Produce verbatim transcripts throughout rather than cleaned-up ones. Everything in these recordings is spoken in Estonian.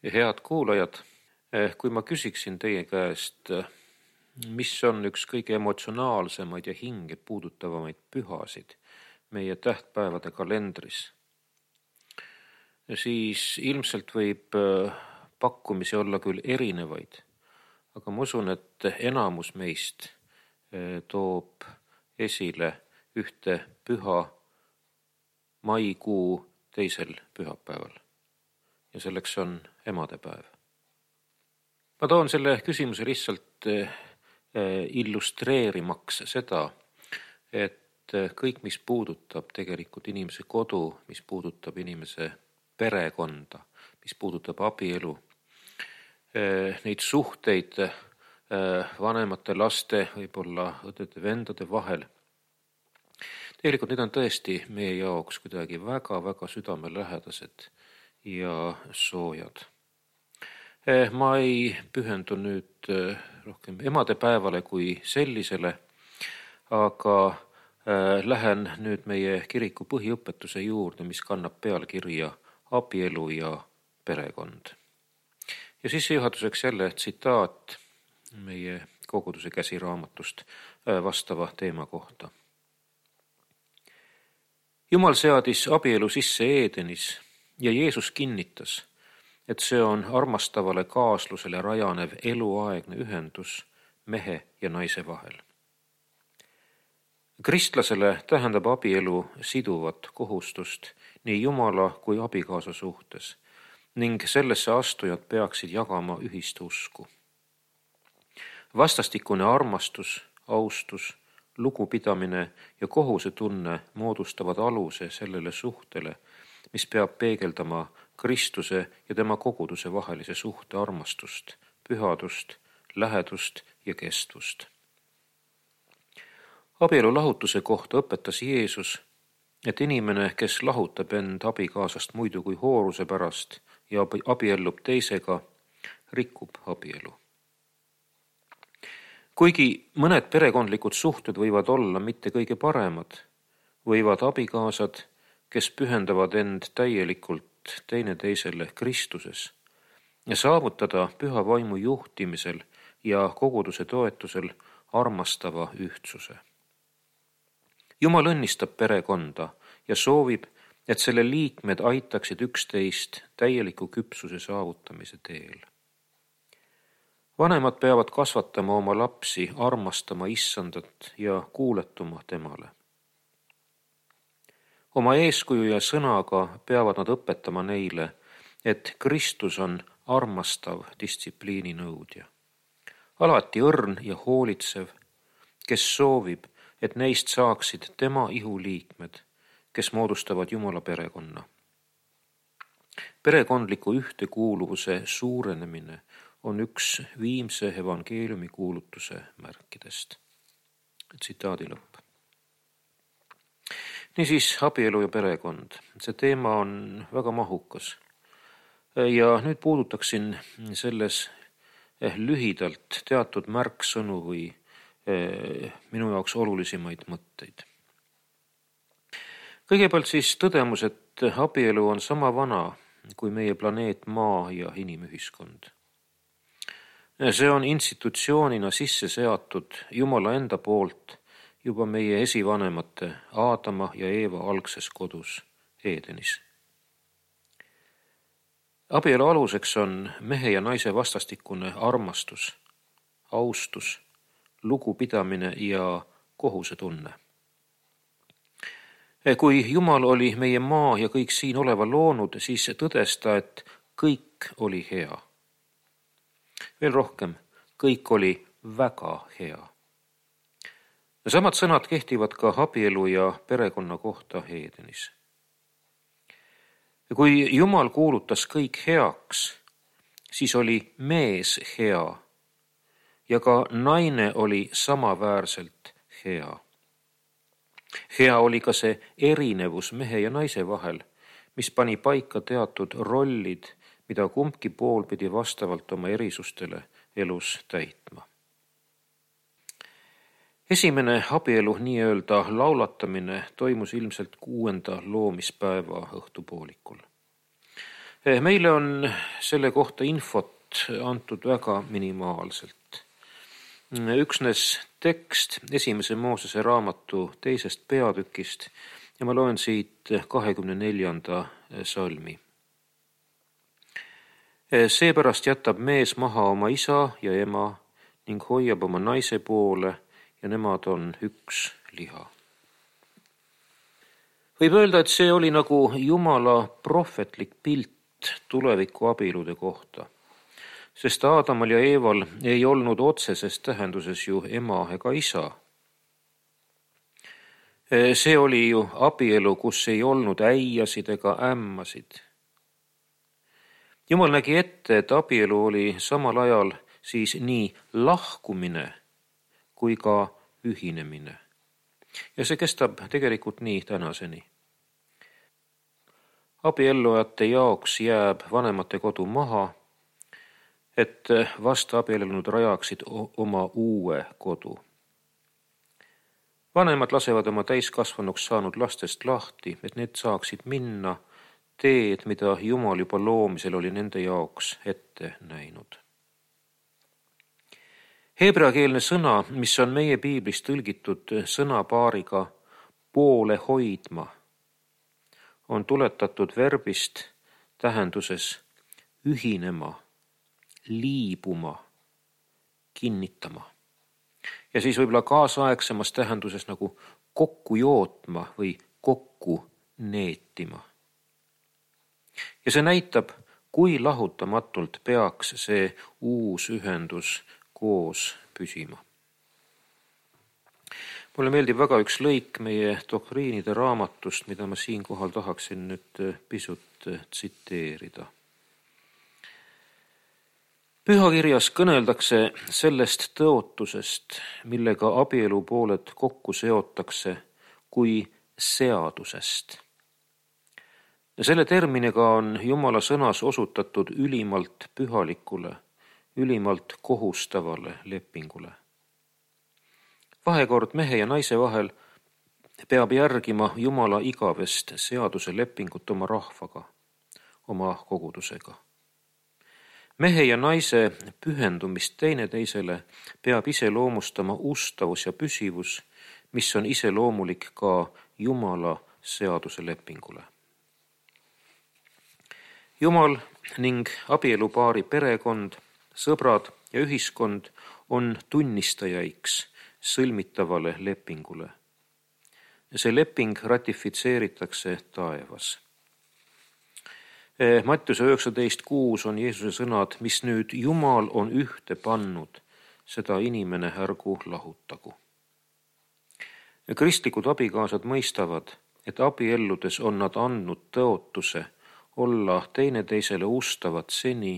Head kuulajad, kui ma küsiksin teie käest, mis on üks kõige emotsionaalsemaid ja hinge puudutavamaid pühasid meie tähtpäevade kalendris, siis ilmselt võib pakkumisi olla küll erinevaid, aga ma usun, et enamus meist toob esile ühte püha maikuu teisel pühapäeval. Ja selleks on emadepäev. Ma toon selle küsimuse lihtsalt illustreerimaks seda, et kõik, mis puudutab tegelikult inimese kodu, mis puudutab inimese perekonda, mis puudutab abielu, neid suhteid vanemate laste, võib-olla õdede-vendade vahel, tegelikult need on tõesti meie jaoks kuidagi väga-väga südamelähedased ja soojad. Ma ei pühendu nüüd rohkem emadepäevale kui sellisele, aga lähen nüüd meie kiriku põhiõpetuse juurde, mis kannab pealkirja abielu ja perekond. Ja sissejuhatuseks jälle tsitaat meie koguduse käsiraamatust vastava teema kohta. Jumal seadis abielu sisse Eedenis ja Jeesus kinnitas, et see on armastavale kaaslusele rajanev eluaegne ühendus mehe ja naise vahel. Kristlasele tähendab abielu siduvat kohustust nii Jumala kui abikaasa suhtes ning sellesse astujad peaksid jagama ühist usku. Vastastikune armastus, austus, lugupidamine ja kohusetunne moodustavad aluse sellele suhtele, mis peab peegeldama Kristuse ja tema koguduse vahelise suhte armastust, pühadust, lähedust ja kestvust. Abielu lahutuse kohta õpetas Jeesus, et inimene, kes lahutab end abikaasast muidu kui hooruse pärast ja abiellub teisega, rikub abielu. Kuigi mõned perekondlikud suhted võivad olla mitte kõige paremad, võivad abikaasad, kes pühendavad end täielikult teineteisele Kristuses ja saavutada püha vaimu juhtimisel ja koguduse toetusel armastava ühtsuse. Jumal õnnistab perekonda ja soovib, et selle liikmed aitaksid üksteist täieliku küpsuse saavutamise teel. Vanemad peavad kasvatama oma lapsi armastama Issandat ja kuuletuma temale. Oma eeskuju ja sõnaga peavad nad õpetama neile, et Kristus on armastav distsipliini nõudja. Alati õrn ja hoolitsev, kes soovib, et neist saaksid tema ihuliikmed, kes moodustavad Jumala perekonna. Perekondliku ühtekuuluvuse suurenemine on üks viimse evangeeliumi kuulutuse märkidest. Tsitaadi lõpp. Niisiis, abielu ja perekond. See teema on väga mahukas. Ja nüüd puudutaksin selles lühidalt teatud märksõnu või minu jaoks olulisemaid mõtteid. Kõigepealt siis tõdemus, et abielu on sama vana kui meie planeet Maa ja inimühiskond. See on institutsioonina sisse seatud Jumala enda poolt juba meie esivanemate Aadama ja Eeva algses kodus Eedenis. Abielu aluseks on mehe ja naise vastastikune armastus, austus, lugupidamine ja kohusetunne. Kui Jumal oli meie maa ja kõik siin oleva loonud, siis tõdes ta, et kõik oli hea. Veel rohkem, kõik oli väga hea. Samad sõnad kehtivad ka abielu ja perekonna kohta Eedenis. Kui Jumal kuulutas kõik heaks, siis oli mees hea ja ka naine oli samaväärselt hea. Hea oli ka see erinevus mehe ja naise vahel, mis pani paika teatud rollid, mida kumbki pool pidi vastavalt oma erisustele elus täitma. Esimene abielu nii-öelda laulatamine toimus ilmselt kuuenda loomispäeva õhtupoolikul. Meile on selle kohta infot antud väga minimaalselt. Üksnes tekst esimese Moosese raamatu teisest peatükist ja ma loen siit kahekümne neljanda salmi. Seepärast jätab mees maha oma isa ja ema ning hoiab oma naise poole ja nemad on üks liha. Võib öelda, et see oli nagu Jumala prohvetlik pilt tuleviku abielude kohta, sest Aadamal ja Eeval ei olnud otseses tähenduses ju ema ega isa. See oli ju abielu, kus ei olnud äiasid ega ämmasid. Jumal nägi ette, et abielu oli samal ajal siis nii lahkumine kui ka ühinemine. Ja see kestab tegelikult nii tänaseni. Abiellujate jaoks jääb vanemate kodu maha, et vast abiellunud rajaksid oma uue kodu. Vanemad lasevad oma täiskasvanuks saanud lastest lahti, et need saaksid minna teed, mida Jumal juba loomisel oli nende jaoks ette näinud. Heebreakeelne sõna, mis on meie piiblis tõlgitud sõnapaariga poole hoidma, on tuletatud verbist tähenduses ühinema, liibuma, kinnitama. Ja siis võib-olla kaasaegsemas tähenduses nagu kokku jootma või kokku neetima. Ja see näitab, kui lahutamatult peaks see uus ühendus koos püsima. Mulle meeldib väga üks lõik meie doktriinide raamatust, mida ma siinkohal tahaksin nüüd pisut tsiteerida. Pühakirjas kõneldakse sellest tõotusest, millega abielu pooled kokku seotakse kui seadusest. Ja selle terminiga on Jumala sõnas osutatud ülimalt pühalikule, ülimalt kohustavale lepingule. Vahekord mehe ja naise vahel peab järgima Jumala igavest seaduse lepingut oma rahvaga, oma kogudusega. Mehe ja naise pühendumist teineteisele peab iseloomustama ustavus ja püsivus, mis on iseloomulik ka Jumala seaduse lepingule. Jumal ning abielupaari perekond, sõbrad ja ühiskond on tunnistajaiks sõlmitavale lepingule. See leping ratifitseeritakse taevas. Mattiuse üheksateist kuus on Jeesuse sõnad, mis nüüd Jumal on ühte pannud, seda inimene ärgu lahutagu. Kristlikud abikaasad mõistavad, et abielludes on nad andnud tõotuse olla teineteisele ustavad seni,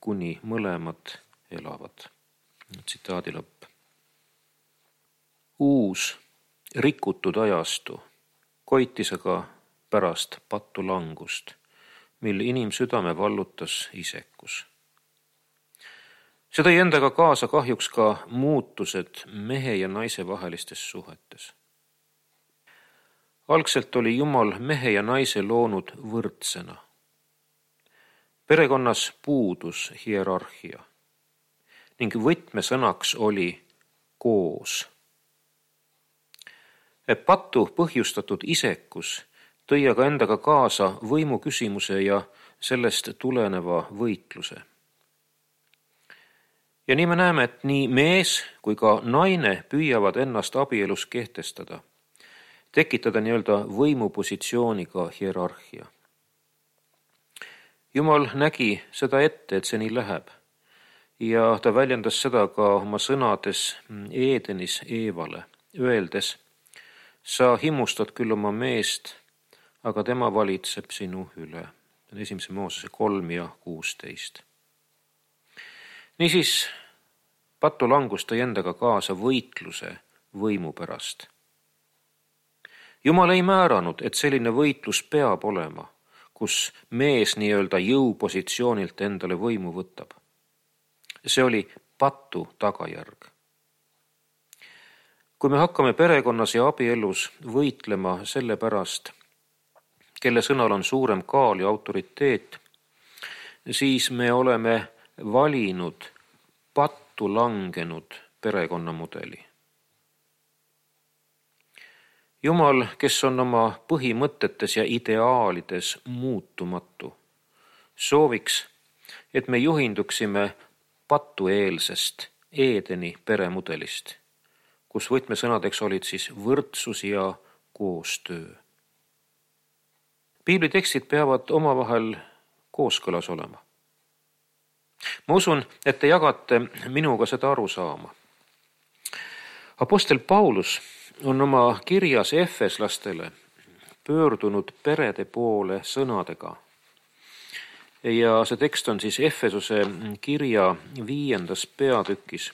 kuni mõlemad elavad. Tsitaadi lõpp. Uus, rikutud ajastu koitis aga pärast pattu langust, mil inimsüdame vallutas isekus. See tõi endaga kaasa kahjuks ka muutused mehe ja naise vahelistes suhetes. Algselt oli Jumal mehe ja naise loonud võrdsena. Perekonnas puudus hierarhia ning võtmesõnaks oli koos. Pattu põhjustatud isekus tõi aga endaga kaasa võimu küsimuse ja sellest tuleneva võitluse. Ja nii me näeme, et nii mees kui ka naine püüavad ennast abielus kehtestada, tekitada nii-öelda võimupositsiooniga hierarhia. Jumal nägi seda ette, et see nii läheb ja ta väljendas seda ka oma sõnades Eedenis Eevale, öeldes: sa himmustad küll oma meest, aga tema valitseb sinu üle. Esimese Moosese kolm ja kuusteist. Niisiis, pattu langus tõi endaga kaasa võitluse võimu pärast. Jumal ei määranud, et selline võitlus peab olema, kus mees nii-öelda jõupositsioonilt endale võimu võtab. See oli pattu tagajärg. Kui me hakkame perekonnas ja abielus võitlema selle pärast, kelle sõnal on suurem kaal ja autoriteet, siis me oleme valinud pattu langenud perekonnamudeli. Jumal, kes on oma põhimõtetes ja ideaalides muutumatu, sooviks, et me juhinduksime patueelsest Eedeni peremudelist, kus võtmesõnadeks olid siis võrdsus ja koostöö. Piiblitekstid peavad omavahel kooskõlas olema. Ma usun, et te jagate minuga seda arusaama. Apostel Paulus on oma kirjas efeslastele pöördunud perede poole sõnadega. Ja see tekst on siis Efesuse kirja viiendas peatükis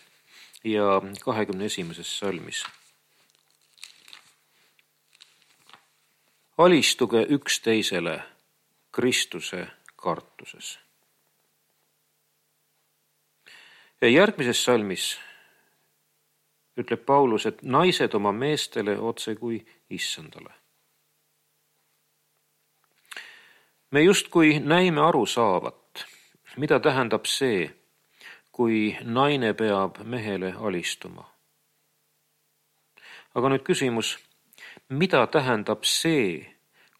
ja kahekümne esimeses salmis. Alistuge üksteisele Kristuse kartuses. Ja järgmises salmis ütleb Paulus, et naised oma meestele otse kui issandale. Me justkui näime aru saavat, mida tähendab see, kui naine peab mehele alistuma. Aga nüüd küsimus, mida tähendab see,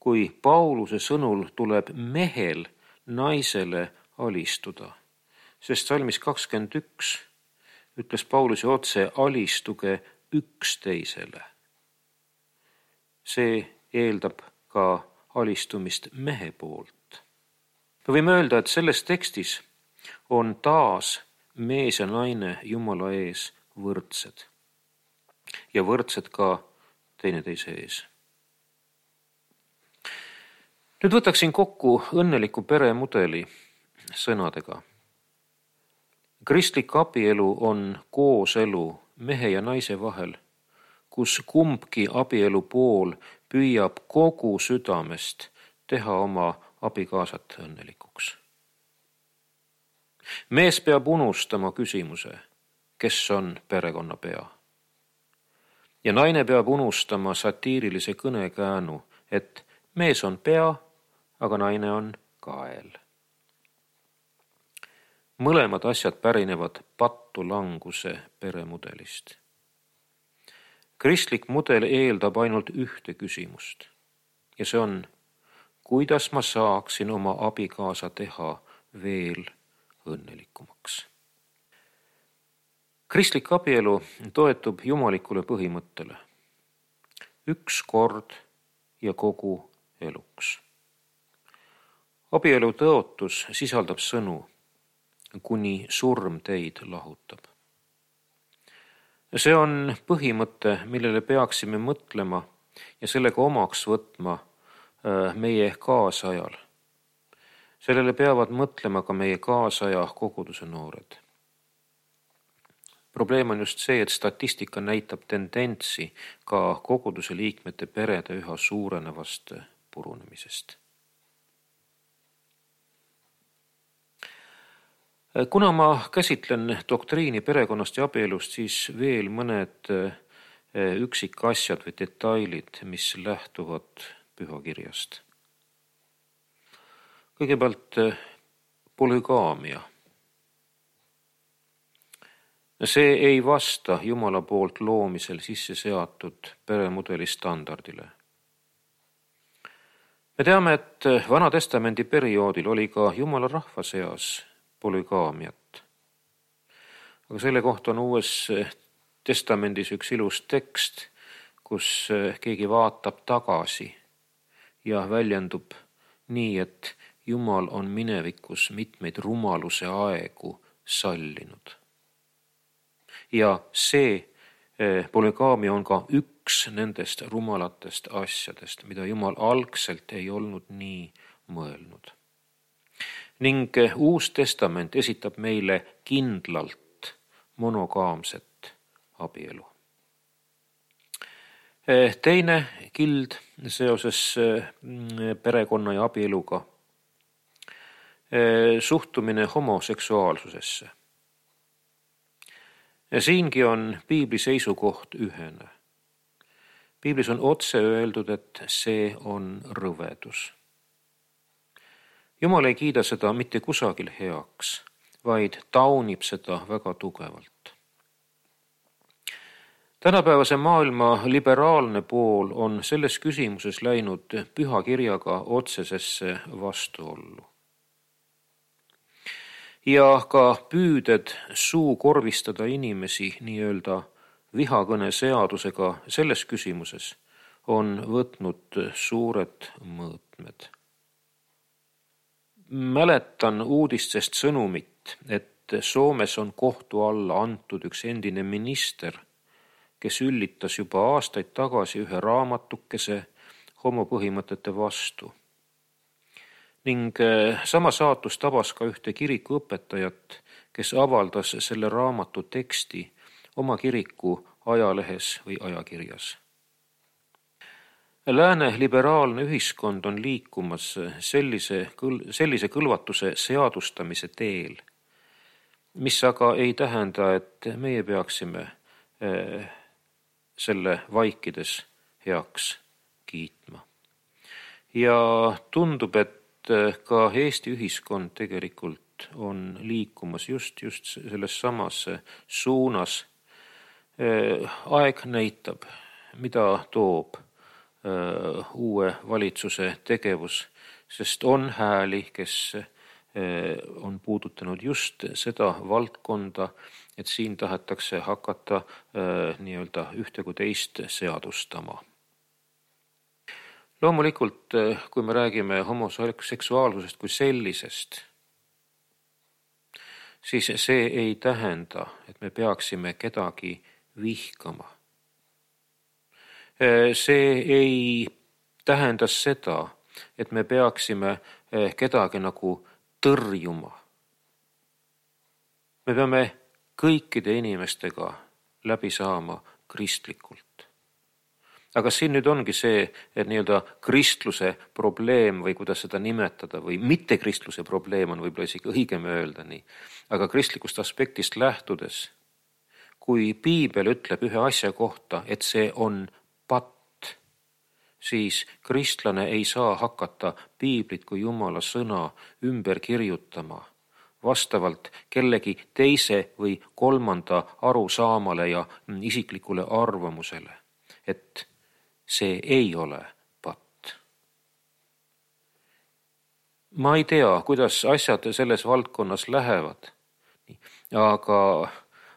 kui Pauluse sõnul tuleb mehel naisele alistuda? Sest salmis kakskümmend üks ütles Paulus otse, alistuge üksteisele. See eeldab ka alistumist mehe poolt. Me võime öelda, et selles tekstis on taas mees ja naine Jumala ees võrdsed ja võrdsed ka teineteise ees. Nüüd võtaksin kokku õnneliku peremudeli sõnadega. Kristlik abielu on kooselu mehe ja naise vahel, kus kumbki abielu pool püüab kogu südamest teha oma abikaasat õnnelikuks. Mees peab unustama küsimuse, kes on perekonna pea. Ja naine peab unustama satiirilise kõnekäänu, et mees on pea, aga naine on kael. Mõlemad asjad pärinevad pattu languse peremudelist. Kristlik mudel eeldab ainult ühte küsimust ja see on, kuidas ma saaksin oma abikaasa teha veel õnnelikumaks. Kristlik abielu toetub jumalikule põhimõttele. Üks kord ja kogu eluks. Abielu tõotus sisaldab sõnu, kuni surm teid lahutab. See on põhimõte, millele peaksime mõtlema ja sellega omaks võtma meie kaasajal. Sellele peavad mõtlema ka meie kaasaja koguduse noored. Probleem on just see, et statistika näitab tendentsi ka koguduse liikmete perede üha suurenevast purunemisest. Kuna ma käsitlen doktriini perekonnast ja abielust, siis veel mõned üksikasjad või detailid, mis lähtuvad pühakirjast. Kõigepealt polügaamia. See ei vasta Jumala poolt loomisel sisse seatud peremudeli standardile. Me teame, et Vana Testamendi perioodil oli ka Jumala rahva seas polügaamiat. Aga selle kohta on Uues Testamendis üks ilus tekst, kus keegi vaatab tagasi ja väljendub nii, et Jumal on minevikus mitmeid rumaluse aegu sallinud. Ja see polügaamia on ka üks nendest rumalatest asjadest, mida Jumal algselt ei olnud nii mõelnud. Ning Uus Testament esitab meile kindlalt monogaamset abielu. Teine kild seoses perekonna ja abieluga. Suhtumine homoseksuaalsusesse. Siingi on piibli seisukoht ühene. Piiblis on otse öeldud, et see on rõvedus. Jumal ei kiida seda mitte kusagil heaks, vaid taunib seda väga tugevalt. Tänapäevase maailma liberaalne pool on selles küsimuses läinud püha kirjaga otsesesse vastuollu. Ja ka püüded suukorvistada inimesi nii-öelda vihakõne seadusega selles küsimuses on võtnud suured mõõtmed. Mäletan uudistest sõnumit, et Soomes on kohtu alla antud üks endine minister, kes üllitas juba aastaid tagasi ühe raamatukese homopõhimõtete vastu. Ning sama saatus tabas ka ühte kirikuõpetajat, kes avaldas selle raamatu teksti oma kiriku ajalehes või ajakirjas. Lääne liberaalne ühiskond on liikumas sellise, sellise kõlvatuse seadustamise teel, mis aga ei tähenda, et meie peaksime selle vaikides heaks kiitma. Ja tundub, et ka Eesti ühiskond tegelikult on liikumas just, just selles samas suunas. Aeg näitab, mida toob uue valitsuse tegevus, sest on hääli, kes on puudutanud just seda valdkonda, et siin tahetakse hakata nii-öelda ühte kui teist seadustama. Loomulikult, kui me räägime homoseksuaalsusest kui sellisest, siis see ei tähenda, et me peaksime kedagi vihkama. See ei tähenda seda, et me peaksime kedagi nagu tõrjuma. Me peame kõikide inimestega läbi saama kristlikult. Aga siin nüüd ongi see, et nii-öelda kristluse probleem või kuidas seda nimetada või mitte kristluse probleem on võib-olla isegi õigem öelda nii. Aga kristlikust aspektist lähtudes, kui piibel ütleb ühe asja kohta, et see on patt, siis kristlane ei saa hakata piiblit kui Jumala sõna ümber kirjutama vastavalt kellegi teise või kolmanda arusaamale ja isiklikule arvamusele, et see ei ole patt. Ma ei tea, kuidas asjad selles valdkonnas lähevad, aga,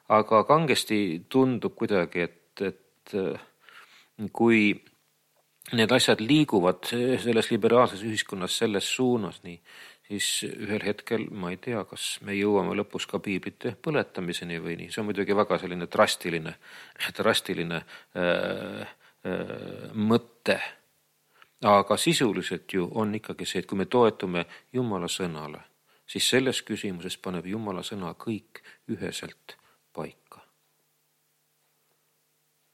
aga kangesti tundub kuidagi, et, et kui need asjad liiguvad selles liberaalses ühiskonnas selles suunas, nii, siis ühel hetkel ma ei tea, kas me jõuame lõpus ka piiblite põletamiseni või nii. See on muidugi väga selline drastiline, drastiline äh, mõte. Aga sisuliselt ju on ikkagi see, et kui me toetume Jumala sõnale, siis selles küsimuses paneb Jumala sõna kõik üheselt paika.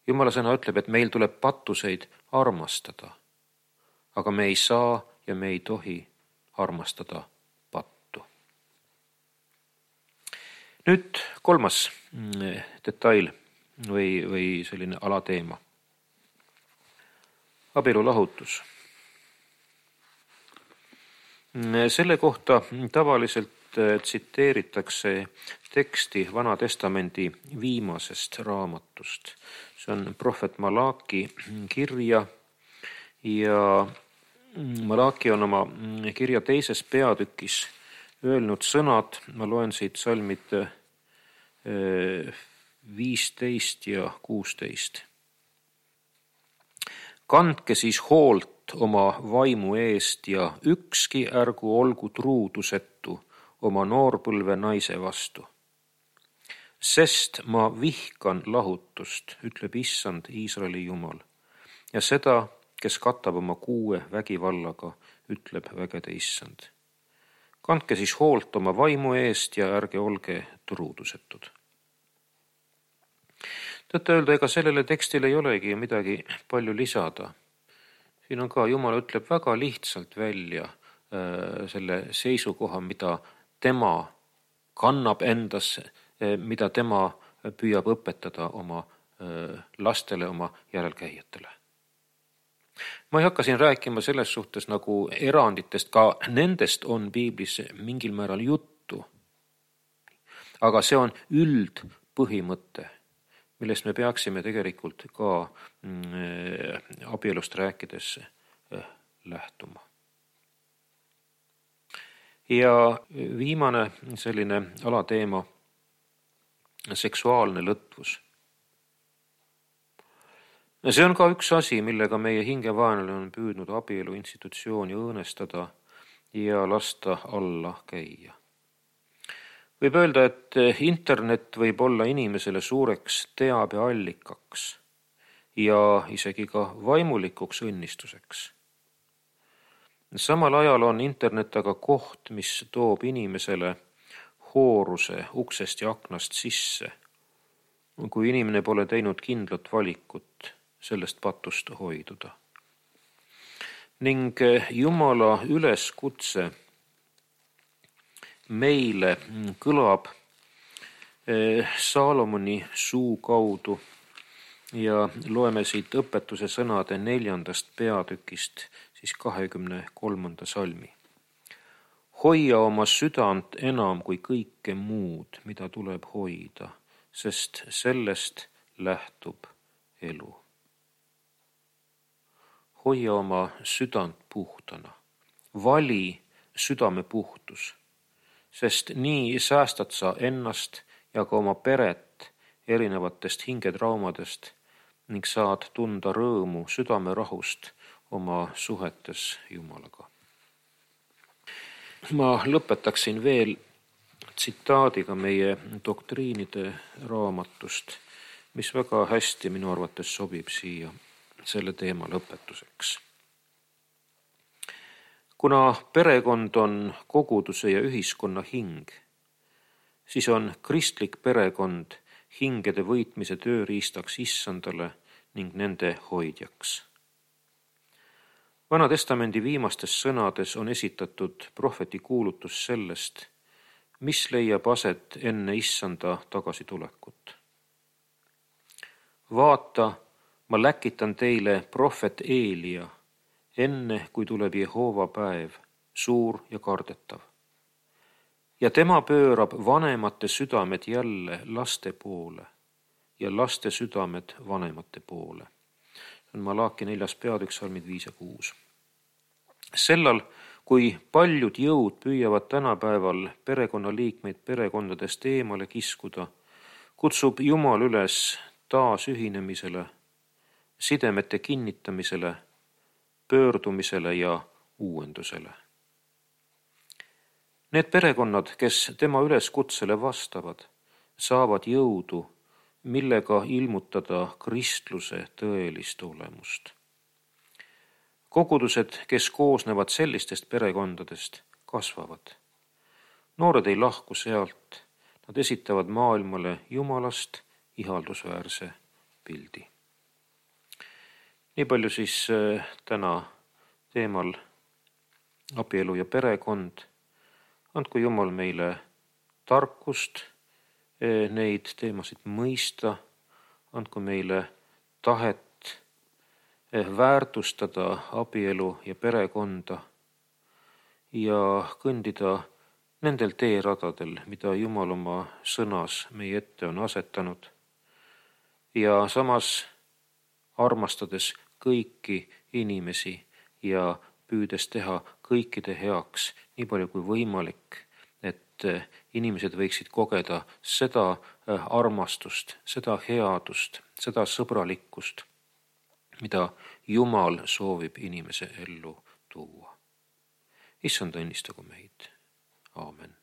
Jumala sõna ütleb, et meil tuleb pattuseid armastada, aga me ei saa ja me ei tohi armastada pattu. Nüüd kolmas detail või, või selline alateema. Abielulahutus. Selle kohta tavaliselt tsiteeritakse teksti Vana Testamendi viimasest raamatust. See on prohvet Malaki kirja ja Malaki on oma kirja teises peatükis öelnud sõnad, ma loen siit salmid viisteist ja kuusteist. Kandke siis hoolt oma vaimu eest ja ükski ärgu olgu truudusetu oma noorpõlve naise vastu. Sest ma vihkan lahutust, ütleb issand Iisraeli Jumal, ja seda, kes katab oma kuue vägivallaga, ütleb vägede issand. Kandke siis hoolt oma vaimu eest ja ärge olge truudusetud. Tõtta öelda, ega sellele tekstile ei olegi midagi palju lisada. Siin on ka, Jumal ütleb väga lihtsalt välja äh, selle seisukoha, mida tema kannab endas, äh, mida tema püüab õpetada oma äh, lastele, oma järelkäijatele. Ma ei hakka siin rääkima selles suhtes nagu eranditest, ka nendest on piiblis mingil määral juttu. Aga see on üldpõhimõte, millest me peaksime tegelikult ka abielust rääkides lähtuma. Ja viimane selline alateema, seksuaalne lõtvus. See on ka üks asi, millega meie hingevaenlane on püüdnud abielu institutsiooni õõnestada ja lasta alla käia. Võib öelda, et internet võib olla inimesele suureks teabeallikaks ja isegi ka vaimulikuks õnnistuseks. Samal ajal on internet aga koht, mis toob inimesele hooruse uksest ja aknast sisse, kui inimene pole teinud kindlat valikut sellest patust hoiduda. Ning Jumala üleskutse meile kõlab Saalomoni suu kaudu ja loeme siit õpetuse sõnade neljandast peatükist, siis kahekümne kolmanda salmi. Hoia oma südant enam kui kõike muud, mida tuleb hoida, sest sellest lähtub elu. Hoia oma südant puhtana. Vali südame puhtus, sest nii säästad sa ennast ja ka oma peret erinevatest hingetraumadest ning saad tunda rõõmu südame rahust oma suhetes Jumalaga. Ma lõpetaksin veel tsitaadiga meie doktriinide raamatust, mis väga hästi minu arvates sobib siia selle teema lõpetuseks. Kuna perekond on koguduse ja ühiskonna hing, siis on kristlik perekond hingede võitmise tööriistaks issandale ning nende hoidjaks. Vana testamendi viimastes sõnades on esitatud prohveti kuulutus sellest, mis leiab aset enne issanda tagasitulekut. Vaata, ma läkitan teile prohvet Eelia, enne kui tuleb Jehova päev, suur ja kardetav. Ja tema pöörab vanemate südamed jälle laste poole ja laste südamed vanemate poole. See on Malaaki neljas peatükk, salmid viis ja kuus. Sellal, kui paljud jõud püüavad tänapäeval perekonnaliikmeid perekondadest eemale kiskuda, kutsub Jumal üles taasühinemisele, sidemete kinnitamisele, pöördumisele ja uuendusele. Need perekonnad, kes tema üleskutsele vastavad, saavad jõudu, millega ilmutada kristluse tõelist olemust. Kogudused, kes koosnevad sellistest perekondadest, kasvavad. Noored ei lahku sealt, nad esitavad maailmale Jumalast ihaldusväärse pildi. Nii palju siis täna teemal abielu ja perekond. Andku Jumal meile tarkust neid teemasid mõista, andku meile tahet väärtustada abielu ja perekonda ja kõndida nendel teeradadel, mida Jumal oma sõnas meie ette on asetanud ja samas armastades kõiki inimesi ja püüdes teha kõikide heaks nii palju kui võimalik, et inimesed võiksid kogeda seda armastust, seda headust, seda sõbralikkust, mida Jumal soovib inimese ellu tuua. Issand õnnistagu meid. Aamen.